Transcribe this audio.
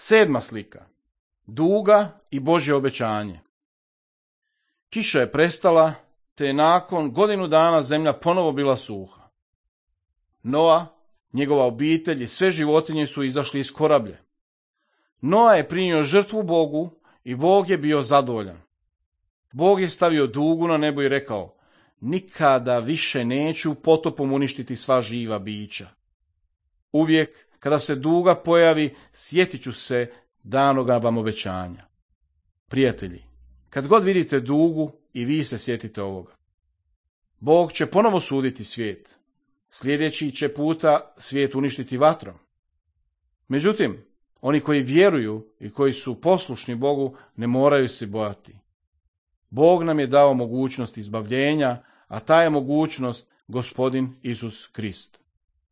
7. slika. Duga i Božje obećanje. Kiša je prestala, te je nakon godinu dana zemlja ponovo bila suha. Noa, njegova obitelj i sve životinje su izašli iz korablje. Noa je prinio žrtvu Bogu i Bog je bio zadovoljan. Bog je stavio dugu na nebo i rekao: nikada više neću potopom uništiti sva živa bića. Uvijek kada se duga pojavi, sjetit ću se danoga vam obećanja. Prijatelji, kad god vidite dugu, i vi se sjetite ovoga. Bog će ponovo suditi svijet. Sljedeći će puta svijet uništiti vatrom. Međutim, oni koji vjeruju i koji su poslušni Bogu ne moraju se bojati. Bog nam je dao mogućnost izbavljenja, a ta je mogućnost Gospodin Isus Krist.